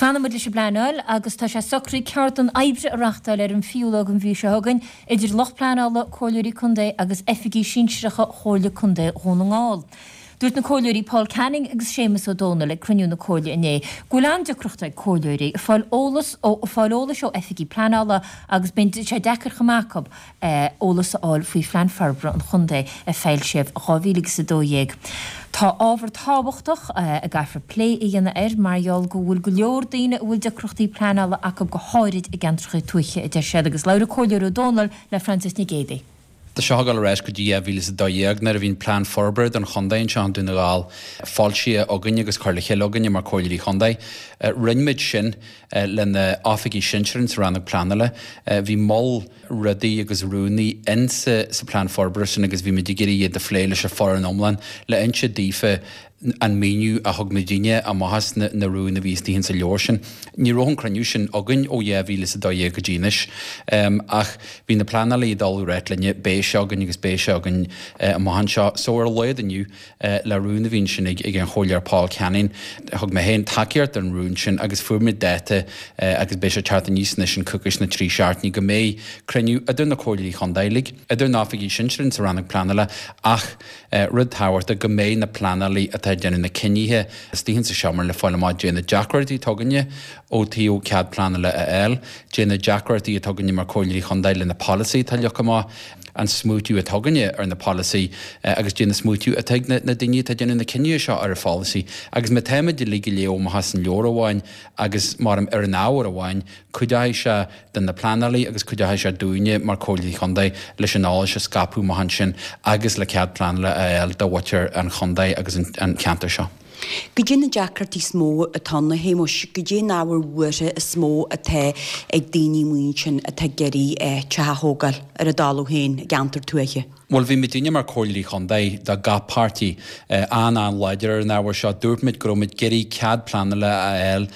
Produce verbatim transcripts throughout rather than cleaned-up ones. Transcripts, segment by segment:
Fanfaidh muid leis an bpleanáil agus tá sé socraithe ceardlann oibre a reáchtáil ar an fichiú lá den mhí seo chugainn idir lucht pleanála, comhairleoirí contae agus oifigigh sinsearacha Chomhairle Contae Dhún na nGall. Dúirt na comhairleoirí Paul Canning agus Séamus Ó Dónaill ag cruinniú na Comhairle inné go bhfuil an-deacracht ag comhairleoirí fáil eolas ó fáil eolais ó oifigigh pleanála agus bíonn sé deacair chomh maith acu eolas a fháil faoi phlean forbartha an chontae a foilsíodh dhá mhíle agus a dó dhéag. Tá ábhar tábhachtach a gcaithfear plé a dhéanamh air mar gheall go bhfuil go leor daoine a bhfuil deacrachtaí pleanála acu go háirid i gceantracha tuaithe, a deir siad agus labhair an Comhairleoir Ó Dónaill le Frances Nic Géadaigh. Tá seo ag dul ar ais go dtí dhá mhíle is a dó dhéag nuair a bhí an Plean Forbartha don Chontae anseo i nDún na nGall foilsithe againn agus curtha le chéile againne mar Comhairleoirí Chontae. Rinne muid sin le na oifigigh sinsearacha sa Rannóg Pleanála. Bhí moll rudaí agus rúin in sa Plean Forbartha sin agus bhí muid ag iarraidh iad a phlé leis an foireann iomlán le inse daofa an míniú a thug muidinne amach as na na rúin a bhí istigh sa leabhar sin. Ní raibh an cruinniú sin againn ó dhá mhíle is a dó dhéag go dtí anois ach bhí na pleanálaithe ag dul ag ráit linne beidh sé againn agus beidh sé againn amach anseo. So ar a laghad inniu le rún a bhí ansin ag ag an Chomhairleoir Paul Canning, thug mé féin tacaíocht don rún sin agus fuair muid dáta agus beidh sé ag teacht aníos anois in coicís nó trí seachtainí go mbeidh cruinniú idir na comhairleoirí chontae uilig, idir na oifigigh sinsearacha sa rannóg pleanála ach rud tábhachtach go mbeidh na pleanálaithe atá ag déanamh na cinnithe istigh insa seomra le fáil amach dé na deacrachtaí atá againne ó taobh cead pleanála a fháil, dé na deacrachtaí atá againne mar comhairleoirí chontae le na polasaithe atá leagtha amach, an smaoitiú atá againne ar na polasaithe agus dé na smaoitiú atá ag na daoine atá ag déanamh na cinnithe seo ar an pholasaí. Agus má táimid uilig ag léamh amach as an leabhar amháin agus mar ar an ábhar amháin, cuideoidh sé do na pleanálaithe agus cuideoidh sé dúinne mar Comhairleoirí Chontae leis an eolas a scaipeadh amach ansin agus le cead pleanála a fháil do mhuintir an chontae agus an cheantair seo. Goidé na deacrachtaí is mó atá ann, a Shéamuis, goidé an ábhar buartha is mó atá ag daoine amuigh ansin atá ag iarraidh teach a thógáil ar a dtalamh féin i gceantar tuaithe? Bhuel, bhí muidinne mar Comhairleoirí Chontae do gach páirtí an-an-láidir ar an ábhar seo. Dúirt muid go raibh muid ag iarraidh cead pleanála a fháil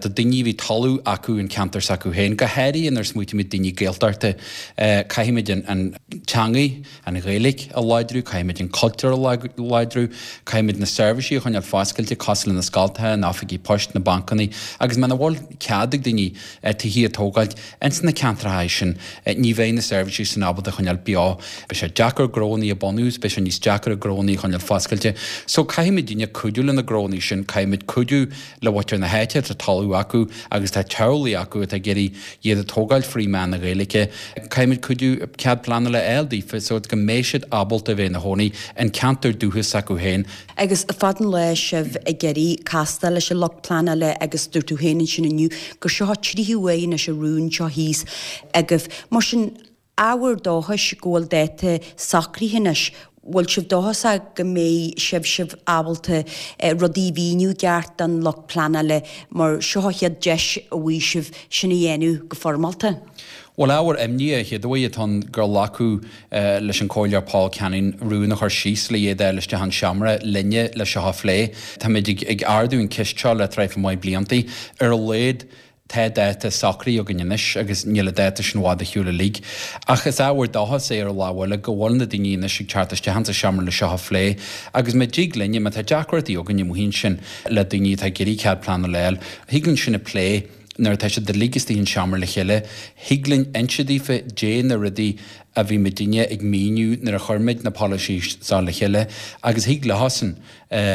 do daoine a bhí talamh acu in ceantar s'acu féin, go háirithe nuair a smaoitímid daoine Gaeltachta. Caithfimid an teangaidh, an Ghaeilge a láidriú, caithfimid an cultúr a láidriú, caithfimid na seirbhísí a choinneáil foscailte cosúil le na scoltacha, na oifigí poist, na bancanna agus muna bhfuil cead ag daoine tithí a tógáilt ins na ceantracha sin, ní bheidh na seirbhísí sin ábalta a choinneáil beo. Beidh sé deacair gnónnaí a bunú, beidh sé níos deacair gnónnaí a choinneáil foscailte. So caithfimidinne cuidiú le na gnónnaí sin, caithfimid cuidiú le muintir na háite atá talamh acu agus tá teaghlaigh acu atá ag iarraidh iad a tógáil frí mheán na Gaeilge. Caithfimid cuidiú cead pleanála a fháil daofa so go mbeidh siad ábalta a bheith ina chónaí in ceantar dúchais s'acu féin. Agus fad an lá sibh ag iarraidh castáil leis an lucht pleanála agus dúirt tú féin ansin inniu gur seo an tríú huair anois an rún seo thíos agaibh. Mar sin, ábhar dóchais go bhfuil dáta socraithe anois. Bhfuil sibh dóchasach go mbeidh sibh sibh ábalta rudaí a mhíniú i gceart don lucht pleanála mar seo an chéad deis a bhfaighidh sibh sin a dhéanamh go foirmeálta? Bhuel, ábhar imní a chéaduair atá ann gur glacadh leis an Comhairleoir Paul Canning rún a chur síos le iad a fháil isteach an seomra linne le seo a phlé. Táimid ag ardú an ceist seo le traidhfil maith bliantaí. Ar a laghad, tá dáta socraithe againn anois agus níl an dáta sin i bhfad ar shiúl uilig. Ach is ábhar dóchais é ar an lámh eile go bhfuil na daoine anois ag teacht isteach insa seomra le seo a phlé. Agus má dtig linne, má tá deacrachtaí againn amuigh ansin le daoine atá ag iarraidh cead pleanála a fháil, thig linn sin a phlé nuair atá siad uilig istigh in seomra le chéile. Thig linn inse daofa dé na rudaí a bhí muidinne ag míniú nuair a chuir muid na polasaí seo le chéile agus thig leosan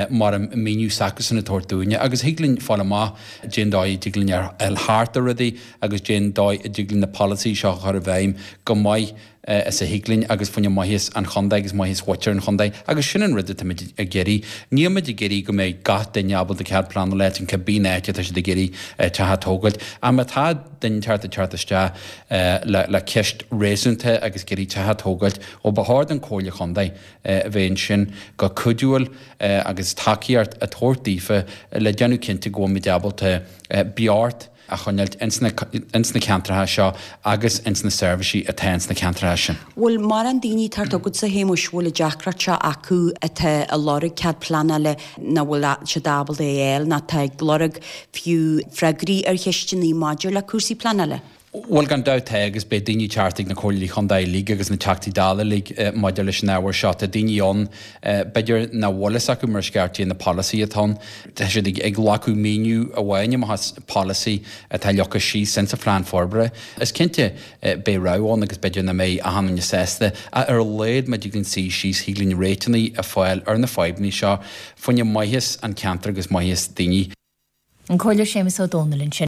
mar an míniú s'acusan a tabhairt dúinne agus thig linn fáil amach dén dóigh a dtig linn a fháil thart ar rudaí agus dén dóigh a dtig linn na polasaí seo a chur i bhfeidhm go maith is a thig linn agus fá choinne maitheas an chontae agus maitheas mhuintir an chontae agus sin an rud atáimid ag iarraidh. Níl muid ag iarraidh go mbeidh gach duine ábalta cead pleanála a fháil in cibé áit atá siad ag iarraidh teach a tógáilt ach má tá duine inteacht ag teacht isteach le le ceist réasúnta agus ag iarraidh teach a tógáilt, ó ba chóir don Chomhairle Chontae a bheith ansin go cuidiúil agus tacaíocht a tabhairt daofa le déanamh cinnte go bhfuil muid ábalta beocht a choinneáilt ins na ins na ceantracha seo agus ins na seirbhísí atá ins na ceantracha sin. Bhfuil mórán daoine ag teacht chugatsa, a Shéamuis, bhfuil an deacracht seo acu atá ag lorg cead pleanála nach bhfuil siad ábalta é a fháil nó atá ag lorg fiú freagraí ar cheisteanna maidir le cúrsaí pleanála? Bhuel gan dabht tá agus beidh daoine ag teacht ag na Comhairleoirí Chontae uilig agus na Teachtaí Dála uilig maidir leis an ábhar seo. Tá daoine ann b'fhéidir nach bhfuil fhios acu mar is ceart cé na polasaithe atá ann. Tá siad ag glacadh míniú amháin amach as polasaí atá leagtha síos insa phlean forbartha. Is cinnte beidh rogha ann agus b'fhéidir nach mbeidh achan duine sásta ach ar a laghad má thig linn suí síos thig linn réiteanna a fháil ar na fadhbanna seo fá choinne maitheas an cheantair agus maitheas daoine. An Comhairleoir Séamus Ó Dónaill ansin.